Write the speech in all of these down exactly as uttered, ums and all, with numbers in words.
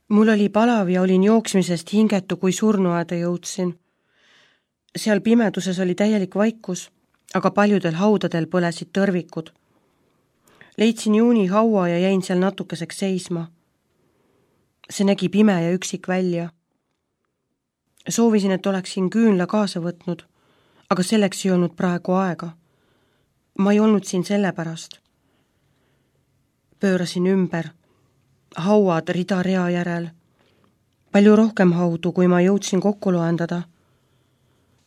Mul oli palav ja olin jooksmisest hingetu, kui surnuaeda jõudsin. Seal pimeduses oli täielik vaikus, aga paljudel haudadel põlesid tõrvikud. Leidsin juuni haua ja jäin seal natukeseks seisma. See nägi pime ja üksik välja. Soovisin, et oleksin küünla kaasa võtnud, aga selleks ei olnud praegu aega. Ma ei olnud siin sellepärast. Pöörasin ümber. Hauad rida rea järel. Palju rohkem haudu, kui ma jõudsin kokku loendada.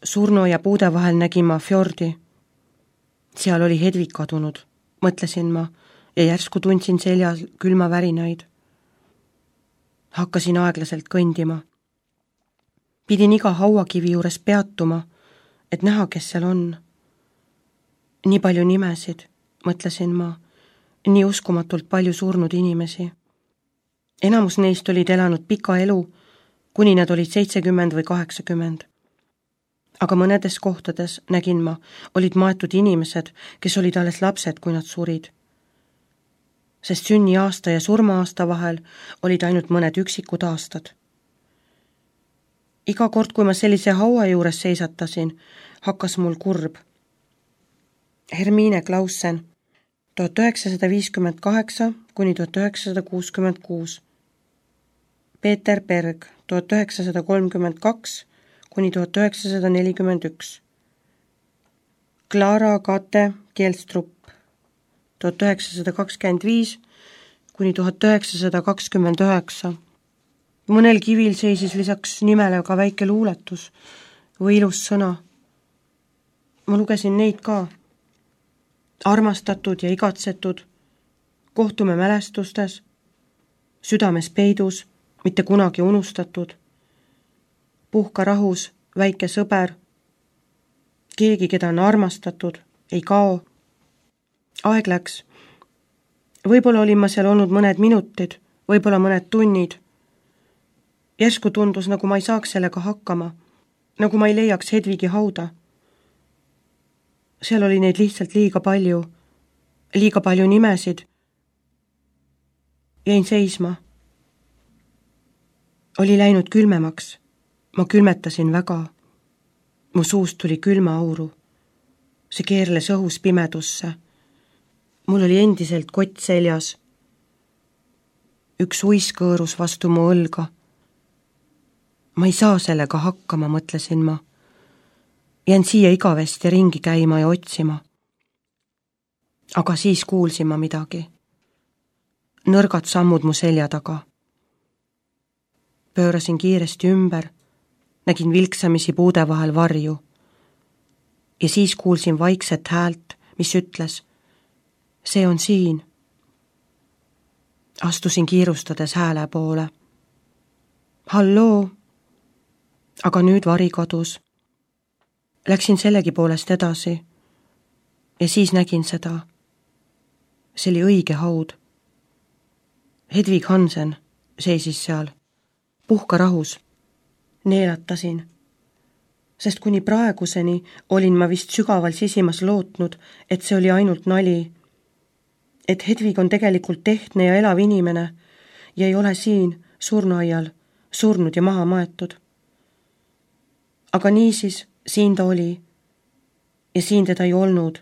Surno ja puude vahel nägin ma fjordi. Seal oli Hedvig kadunud, mõtlesin ma, ja järsku tundsin seljas külma värinaid. Hakkasin aeglaselt kõndima. Pidin iga hauakivi juures peatuma, et näha, kes seal on. Nii palju nimesid, mõtlesin ma, nii uskumatult palju surnud inimesi. Enamus neist olid elanud pika elu, kuni nad olid seitsekümmend või kaheksakümmend. Aga mõnedes kohtades, nägin ma, olid maetud inimesed, kes olid alles lapsed, kui nad surid. Sest sünni aasta ja surma aasta vahel olid ainult mõned üksikud aastad. Iga kord, kui ma sellise haua juures seisatasin, hakkas mul kurb. Hermine Klausen, tuhat üheksasada viiskümmend kaheksa kuni tuhat üheksasada kuuskümmend kuus. Peeter Berg, tuhat üheksasada kolmkümmend kaks kuni tuhat üheksasada nelikümmend üks. Clara Kate Kjelstrup, tuhat üheksasada kakskümmend viis kuni tuhat üheksasada kakskümmend üheksa. Mõnel kivil seisis lisaks nimele ka väike luuletus või ilus sõna. Ma lugesin neid ka. Armastatud ja igatsetud, kohtume mälestustes, südames peidus, mitte kunagi unustatud, puhka rahus, väike sõber, keegi, keda on armastatud, ei kao. Aeg läks. Võib-olla olin ma seal olnud mõned minutid, võib-olla mõned tunnid. Järsku tundus, nagu ma ei saaks sellega hakkama, nagu ma ei leiaks Hedvigi hauda. Seal oli neid lihtsalt liiga palju, liiga palju nimesid. Jäin seisma. Oli läinud külmemaks. Ma külmetasin väga. Mu suust tuli külma auru. See keerles õhus pimedusse. Mul oli endiselt kott seljas. Üks uisk kõõrus vastu mu õlga. Ma ei saa sellega hakkama, mõtlesin ma. Jään siia igavesti ringi käima ja otsima. Aga siis kuulsin ma midagi. Nõrgad sammud mu selja taga. Pöörasin kiiresti ümber, nägin vilksamisi puude vahel varju. Ja siis kuulsin vaikset häält, mis ütles, see on siin. Astusin kiirustades hääle poole. Halloo! Aga nüüd vari kadus. Läksin sellegi poolest edasi ja siis nägin seda. See oli õige haud. Hedvig Hansen seisis seal. Puhka rahus. Neelatasin. Sest kuni praeguseni olin ma vist sügaval sisimas lootnud, et see oli ainult nali. Et Hedvig on tegelikult tehtne ja elav inimene ja ei ole siin surnuaial surnud ja maha maetud. Aga niisiis siin ta oli ja siin teda ei olnud.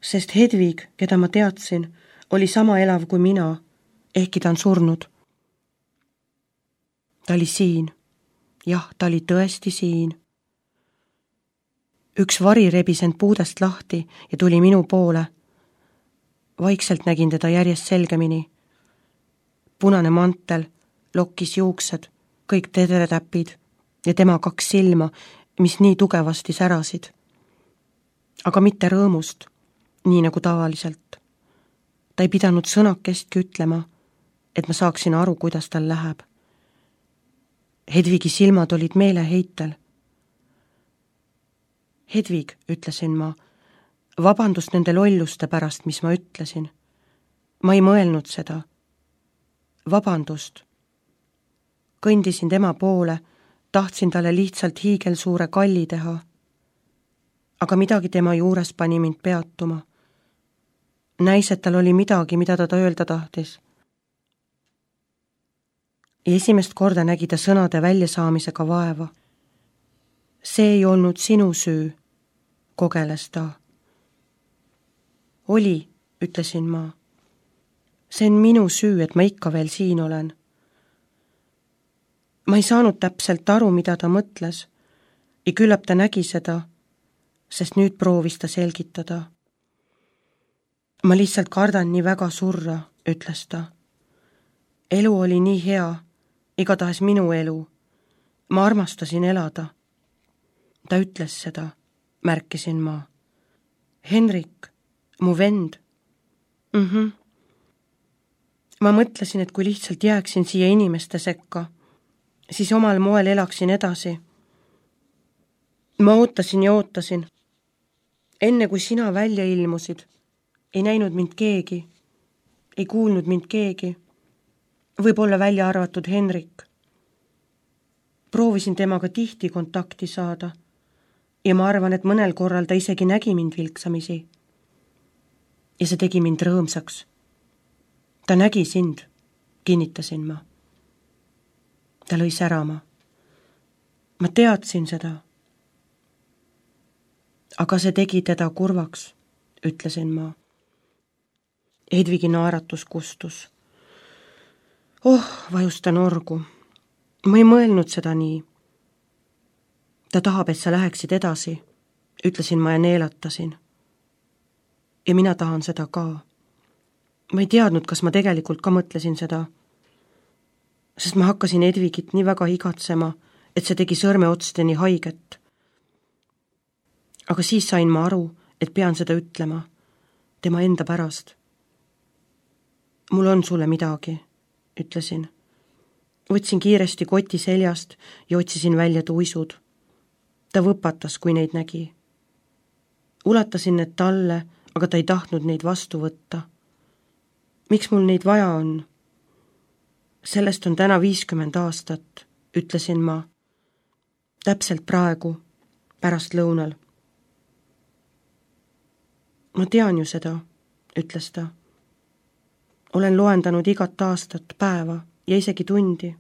Sest Hedvig, keda ma teadsin, oli sama elav kui mina, ehkki ta on surnud. Ta oli siin. Jah, ta oli tõesti siin. Üks vari rebis end puudest lahti ja tuli minu poole. Vaikselt nägin teda järjest selgemini. Punane mantel, lokkis juuksed, kõik tedertäpid ja tema kaks silma, mis nii tugevasti särasid. Aga mitte rõõmust, nii nagu tavaliselt. Ta ei pidanud sõnakestki ütlema, et ma saaksin aru, kuidas tal läheb. Hedvigi silmad olid meeleheitel. Hedvig, ütlesin ma, vabandust nende lolluste pärast, mis ma ütlesin. Ma ei mõelnud seda. Vabandust. Kõndisin tema poole, tahtsin talle lihtsalt hiigelsuure kalli teha. Aga midagi tema juures pani mind peatuma. Näis, et tal oli midagi, mida ta öelda tahtis. ja esimest korda nägi ta sõnade väljasaamisega vaeva. See ei olnud sinu süü, kogeles ta. Oli, ütlesin ma. See on minu süü, et ma ikka veel siin olen. Ma ei saanud täpselt aru, mida ta mõtles ja küllap ta nägi seda, sest nüüd proovis ta selgitada. Ma lihtsalt kardan nii väga surra, ütles ta. Elu oli nii hea, igatahes minu elu. Ma armastasin elada. Ta ütles seda, märkisin ma. Henrik, mu vend. Mhm. Ma mõtlesin, et kui lihtsalt jääksin siia inimeste sekka, siis omal moel elaksin edasi. Ma ootasin ja ootasin. Enne kui sina välja ilmusid, ei näinud mind keegi, ei kuulnud mind keegi, võib-olla välja arvatud Henrik. Proovisin temaga tihti kontakti saada ja ma arvan, et mõnel korral ta isegi nägi mind vilksamisi. Ja see tegi mind rõõmsaks. Ta nägi sind, kinnitasin ma. Ta lõi särama. Ma teadsin seda. Aga see tegi teda kurvaks, ütlesin ma. Hedvigi naeratus kustus. Oh, vajus ta norgu. Ma ei mõelnud seda nii. Ta tahab, et sa läheksid edasi, ütlesin ma ja neelatasin. Ja mina tahan seda ka. Ma ei teadnud, kas ma tegelikult ka mõtlesin seda, sest ma hakkasin Hedvigit nii väga igatsema, et see tegi sõrmeotsteni haiget. Aga siis sain ma aru, et pean seda ütlema, tema enda pärast. Mul on sulle midagi, ütlesin. Võtsin kiiresti koti seljast ja otsisin välja tuisud. Ta võpatas, kui neid nägi. Ulatasin need talle, aga ta ei tahtnud neid vastu võtta. Miks mul neid vaja on? Sellest on täna viiskümmend aastat, ütlesin ma. Täpselt praegu, pärast lõunal. Ma tean ju seda, ütles ta. Olen loendanud igat aastat, päeva ja isegi tundi.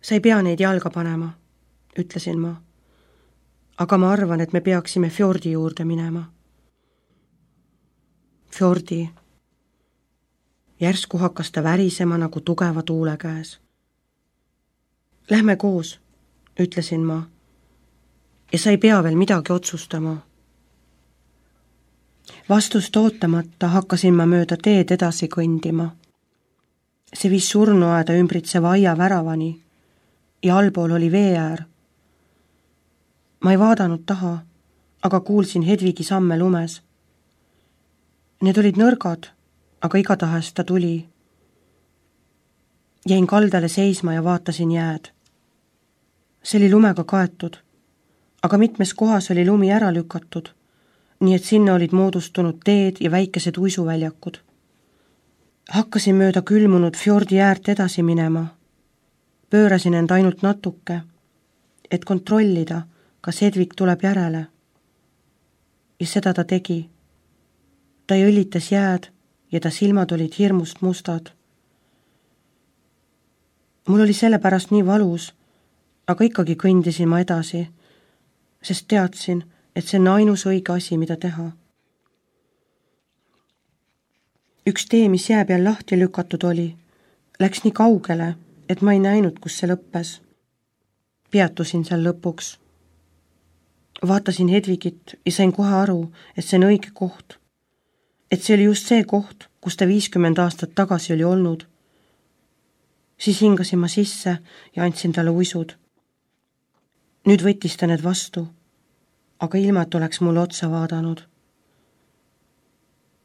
Sa ei pea neid jalga panema, ütlesin ma. Aga ma arvan, et me peaksime fjordi juurde minema. Fjordi. Järsku hakkas ta värisema nagu tugeva tuule käes. Lähme koos, ütlesin ma. Ja sa ei pea veel midagi otsustama. Vastust ootamata hakkasin ma mööda teed edasi kõndima. See viis surnuaeda ümbritseva aia väravani ja allpool oli veeäär. Ma ei vaadanud taha, aga kuulsin Hedvigi samme lumes. Need olid nõrgad, aga igatahes ta tuli. Jäin kaldale seisma ja vaatasin jääd. See oli lumega kaetud, aga mitmes kohas oli lumi ära lükatud, nii et sinna olid moodustunud teed ja väikesed uisuväljakud. Hakkasin mööda külmunud fjordi äärt edasi minema. Pöörasin end ainult natuke, et kontrollida, kas Hedvig tuleb järele. Ja seda ta tegi. Ta jõllitas jääd ja ta silmad olid hirmust mustad. Mul oli sellepärast nii valus, aga ikkagi kõndisin ma edasi, sest teadsin, et see on ainus õige asi, mida teha. Üks tee, mis jää peal lahti lükatud oli, läks nii kaugele, et ma ei näinud, kus see lõppes. Peatusin seal lõpuks. Vaatasin Hedvigit ja sain kohe aru, et see on õige koht. Et see oli just see koht, kus ta viiskümmend aastat tagasi oli olnud. Siis hingasin ma sisse ja andsin talle uisud. Nüüd võttis ta need vastu, aga ilma, et oleks mulle otsa vaadanud.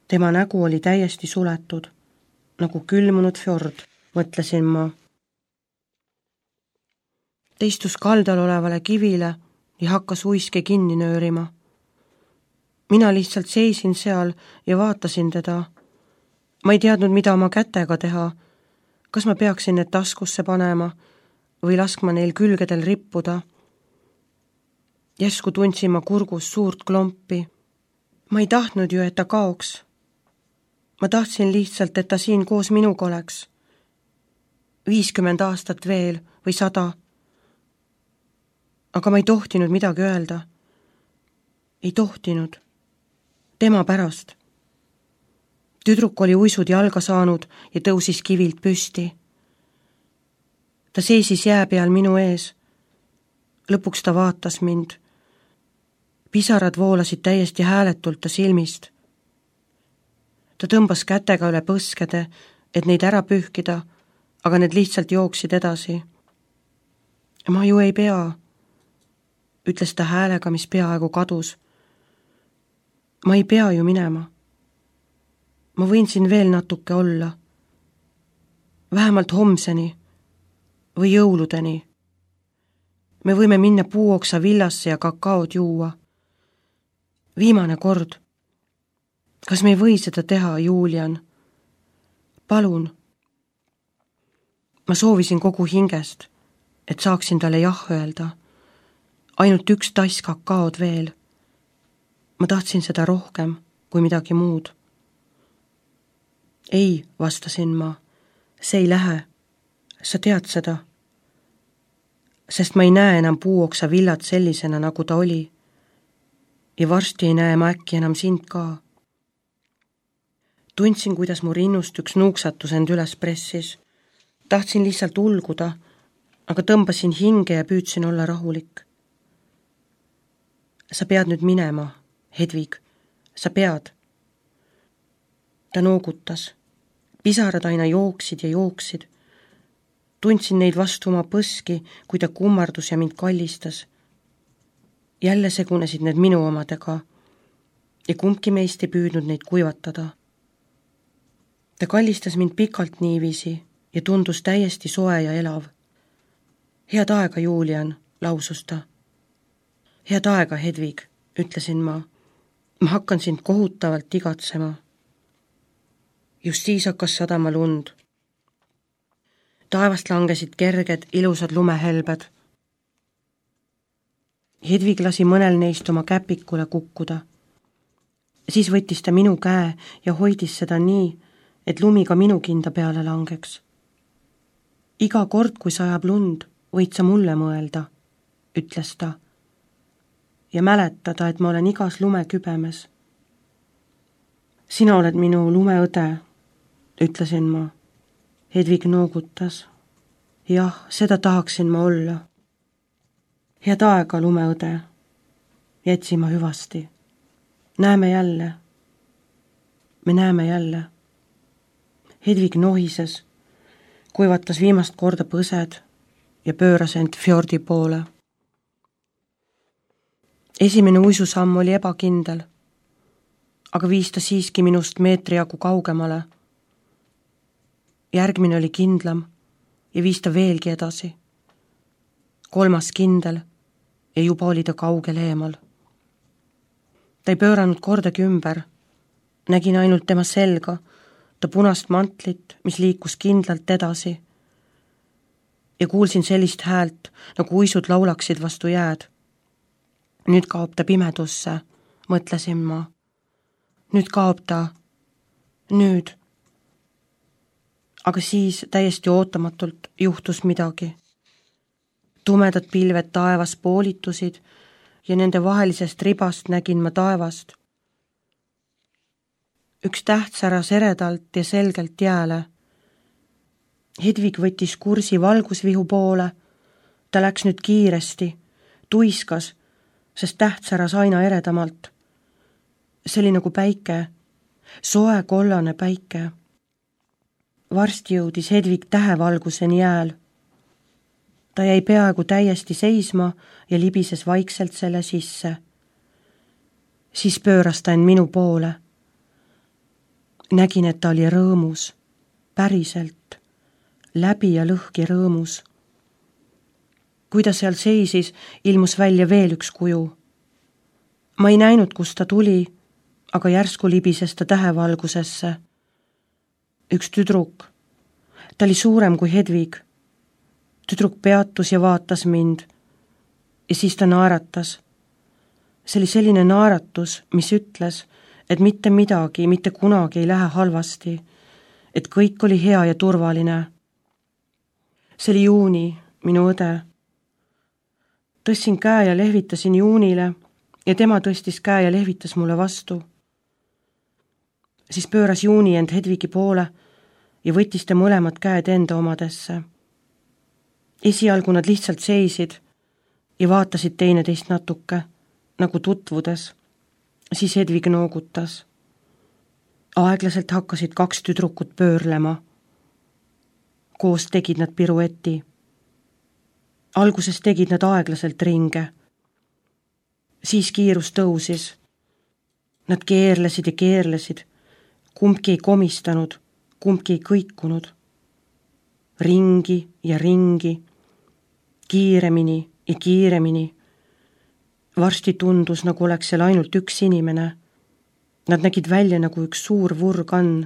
Tema nägu oli täiesti suletud, nagu külmunud fjord, mõtlesin ma. Ta istus kaldal olevale kivile ja hakkas uiske kinni nöörima. Mina lihtsalt seisin seal ja vaatasin teda. Ma ei teadnud, mida oma kätega teha. Kas ma peaksin need taskusse panema või laskma neil külgedel rippuda. Järsku tundsin ma kurgus suurt klompi. Ma ei tahtnud ju, et ta kaoks. Ma tahtsin lihtsalt, et ta siin koos minuga oleks. viiskümmend aastat veel või sada. Aga ma ei tohtinud midagi öelda. Ei tohtinud. Tema pärast. Tüdruk oli uisud jalga saanud ja tõusis kivilt püsti. Ta seisis jää peal minu ees. Lõpuks ta vaatas mind. Pisarad voolasid täiesti hääletult ta silmist. Ta tõmbas kätega üle põskede, et neid ära pühkida, aga need lihtsalt jooksid edasi. Ma ju ei pea, ütles ta häälega, mis peaaegu kadus. Ma ei pea ju minema. Ma võin siin veel natuke olla. Vähemalt homseni või jõuludeni. Me võime minna puuoksa villasse ja kakaod juua. Viimane kord. Kas me ei või seda teha, Julian? Palun. Ma soovisin kogu hingest, et saaksin talle jah öelda. Ainult üks tass kakaod veel. Ma tahtsin seda rohkem kui midagi muud. Ei, vastasin ma. See ei lähe. Sa tead seda. Sest ma ei näe enam puuoksa villat sellisena, nagu ta oli. Ja varsti ei näe ma äkki enam sind ka. Tundsin, kuidas mu rinnust üks nuuksatus end üles pressis. Tahtsin lihtsalt ulguda, aga tõmbasin hinge ja püüdsin olla rahulik. Sa pead nüüd minema, Hedvig. Sa pead. Ta noogutas. Pisarad aina jooksid ja jooksid. Tundsin neid vastu oma põski, kui ta kummardus ja mind kallistas. Jälle segunesid need minu omadega ja kumbki meist ei püüdnud neid kuivatada. Ta kallistas mind pikalt niiviisi ja tundus täiesti soe ja elav. Head aega, Julian, lausus ta. Head aega, Hedvig, ütlesin ma. Ma hakkan sind kohutavalt igatsema. Just siis hakkas sadama lund. Taevast langesid kerged, ilusad lumehelbed. Hedvig lasi mõnel neist oma käpikule kukkuda. Siis võttis ta minu käe ja hoidis seda nii, et lumi ka minu kinda peale langeks. Iga kord, kui sajab lund, võid sa mulle mõelda, ütles ta. Ja mäletada, et ma olen igas lumekübemes. Sina oled minu lumeõde, ütlesin ma. Hedvig noogutas. Jah, seda tahaksin ma olla. Head aega, lumeõde. Jätsin ma hüvasti. Näeme jälle. Me näeme jälle. Hedvig nohises, kuivatas viimast korda põsed ja pööras end fjordi poole. Esimene uisusamm oli ebakindel, aga viis ta siiski minust meetri jagu kaugemale. Järgmine oli kindlam ja viis ta veelgi edasi. Kolmas kindel ja juba oli ta kaugel eemal. Ta ei pööranud kordagi ümber. Nägin ainult tema selga, ta punast mantlit, mis liikus kindlalt edasi. Ja kuulsin sellist häält, nagu uisud laulaksid vastu jääd. Nüüd kaob ta pimedusse, mõtlesin ma. Nüüd kaob ta. Nüüd. Aga siis täiesti ootamatult juhtus midagi. Tumedad pilved taevas poolitusid ja nende vahelisest ribast nägin ma taevast. Üks täht säras eredalt ja selgelt jääle. Hedvig võttis kursi valgusvihu poole. Ta läks nüüd kiiresti, tuiskas, sest täht säras aina eredamalt. See oli nagu päike, soe kollane päike. Varsti jõudis Hedvig tähevalguseni jääl. Ta jäi peaaegu täiesti seisma ja libises vaikselt selle sisse. Siis pööras ta end minu poole. Nägin, et ta oli rõõmus, päriselt, läbi ja lõhki rõõmus. Kui ta seal seisis, ilmus välja veel üks kuju. Ma ei näinud, kust ta tuli, aga järsku libises ta tähevalgusesse. Üks tüdruk. Ta oli suurem kui Hedvig. Tüdruk peatus ja vaatas mind. Ja siis ta naeratas. See oli selline naeratus, mis ütles, et mitte midagi, mitte kunagi ei lähe halvasti, et kõik oli hea ja turvaline. See oli Juuni, minu õde. Tõstsin käe ja lehvitasin Juunile ja tema tõstis käe ja lehvitas mulle vastu. Siis pööras Juuni end Hedvigi poole ja võttis ta mõlemad käed enda omadesse. Esialgu nad lihtsalt seisid ja vaatasid teineteist natuke, nagu tutvudes. Siis Hedvig noogutas. Aeglaselt hakkasid kaks tüdrukut pöörlema. Koos tegid nad pirueti. Alguses tegid nad aeglaselt ringe. Siis kiirus tõusis. Nad keerlesid ja keerlesid. Kumbki ei komistanud, kumbki ei kõikunud. Ringi ja ringi. Kiiremini ja kiiremini. Varsti tundus, nagu oleks seal ainult üks inimene. Nad nägid välja nagu üks suur vurgann.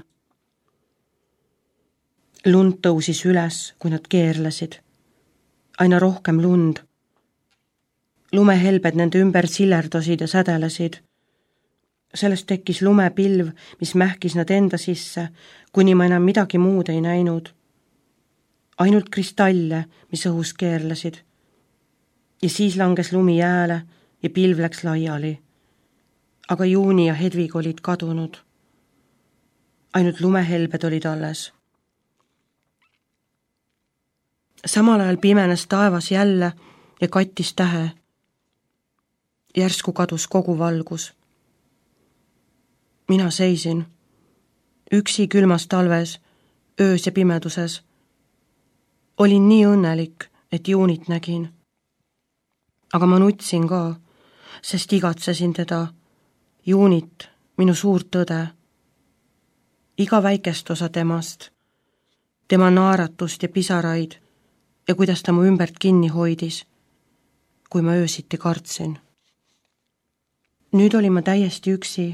Lund tõusis üles, kui nad keerlesid. Aina rohkem lund. Lumehelbed nende ümber sillerdasid ja sädelesid. Sellest tekkis lumepilv, mis mähkis nad enda sisse, kuni ma enam midagi muud ei näinud. Ainult kristalle, mis õhus keerlesid. Ja siis langes lumi jääle ja pilv läks laiali. Aga Juuni ja Hedvig olid kadunud. Ainult lumehelbed olid alles. Samal ajal pimenes taevas jälle ja kattis tähe. Järsku kadus kogu valgus. Mina seisin. Üksi külmas talves, öös ja pimeduses. Olin nii õnnelik, et Juunit nägin. Aga ma nutsin ka, sest igatsesin teda. Juunit, minu suurt õde. Iga väikest osa temast. Tema naaratust ja pisaraid ja kuidas ta mu ümbert kinni hoidis, kui ma öösiti kartsin. Nüüd olin ma täiesti üksi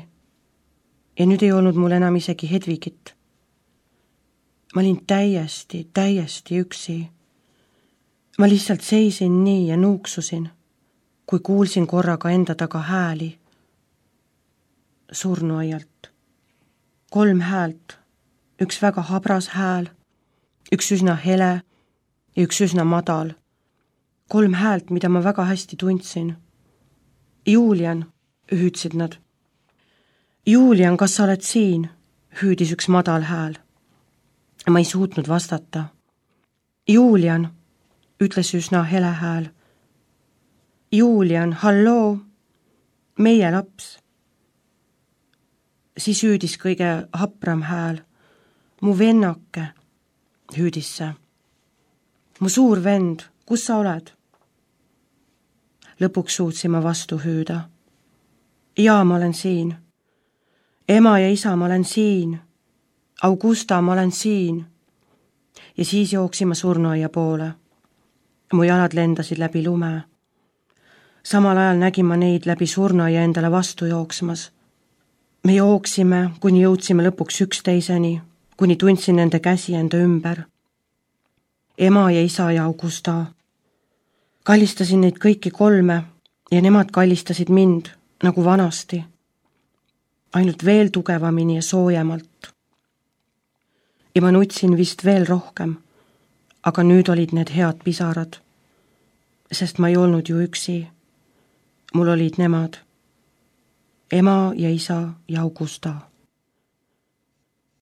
ja nüüd ei olnud mul enam isegi Hedvigit. Ma olin täiesti, täiesti üksi. Ma lihtsalt seisin nii ja nuuksusin, kui kuulsin korraga enda taga hääli. Surnuaialt. Kolm häält. Üks väga habras hääl, üks üsna hele ja üks üsna madal. Kolm häält, mida ma väga hästi tundsin. Julian, hüüdsid nad. Julian, kas sa oled siin? Hüüdis üks madal hääl. Ma ei suutnud vastata. Julian, ütles üsna hele hääl. Julian, halloo, meie laps. Siis hüüdis kõige hapram hääl. Mu vennake, hüüdis see. Mu suur vend, kus sa oled? Lõpuks suutsin ma vastu hüüda. Jaa, ma olen siin. Ema ja isa, ma olen siin. Augusta, ma olen siin. Ja siis jooksime surnuaia poole. Mu jalad lendasid läbi lume. Samal ajal nägin ma neid läbi surnuaia endale vastu jooksmas. Me jooksime, kuni jõudsime lõpuks üksteiseni, kuni tundsin nende käsi enda ümber. Ema ja isa ja Augusta. Kallistasin neid kõiki kolme ja nemad kallistasid mind, nagu vanasti. Ainult veel tugevamini ja soojemalt. Ja ma nutsin vist veel rohkem, aga nüüd olid need head pisarad, sest ma ei olnud ju üksi. Mul olid nemad. Ema ja isa ja Augusta.